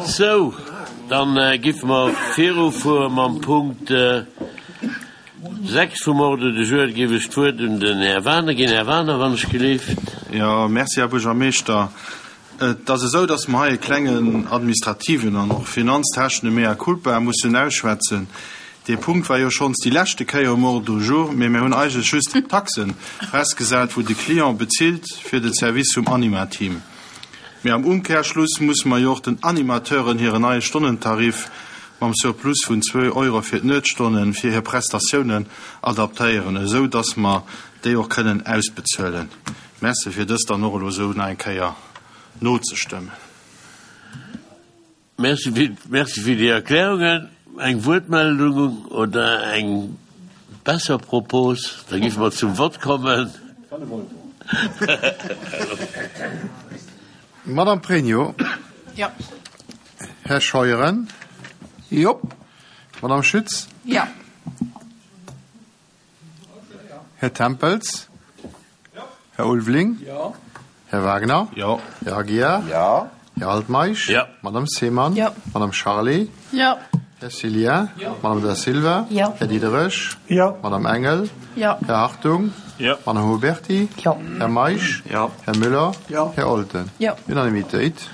Sou, dann giffe mer virufuere mam Punkt 6 vum Ordre du jour. Da géif ech d'Wuert un den Här Wagener ginn. Här Wagener, wann ech gelift. Jo, merci, Här Buergermeeschter. Et ass esou, dass mer hei e klengen administrativen an och finanztechne Mea culpa mussen ausschwätzen. Dee Punkt war jo schonns déi leschte Kéier um Ordre du jour, mee mir hunn eigentlech just d'Taxen festgesat, wou de Client bezilt fir den Service vum Anima-Team. Mee am Umkehrschluss musse mer jo och den Animateuren hiren neie Stonnentarif mam Surplus vun zwou Euro fir d'Nuetsstonnen fir hir Prestatiounen adaptéieren, esou dass mer déi och kënnen ausbezuelen. Merci fir dëst dann och elo esou nach eng Kéier nozestëmmen. Merci fir, merci fir déi Erklärungen. Eng Wuertmeldung oder eng besser Propos? Da géife mer zum Vott kommen. Madame Pregno. Jo. Här Scheuren. Jo. Madame Schütz. Jo. Här Tempels. Här Ulveling. Jo. Här Wagner. Jo. Här Aguiar. Jo. Här Altmeisch. Jo. Madame Seemann. Jo. Madame Charlé. Jo. Här Cillien. Jo. Madame Da Silva. Jo. Här Diderich. Jo. Madame Engel. Jo. Här Hartung. Jo. Madame Huberty. Jo. Här Meisch. Jo. Här Müller. Jo. Här Olten. Jo. Unanimitéit.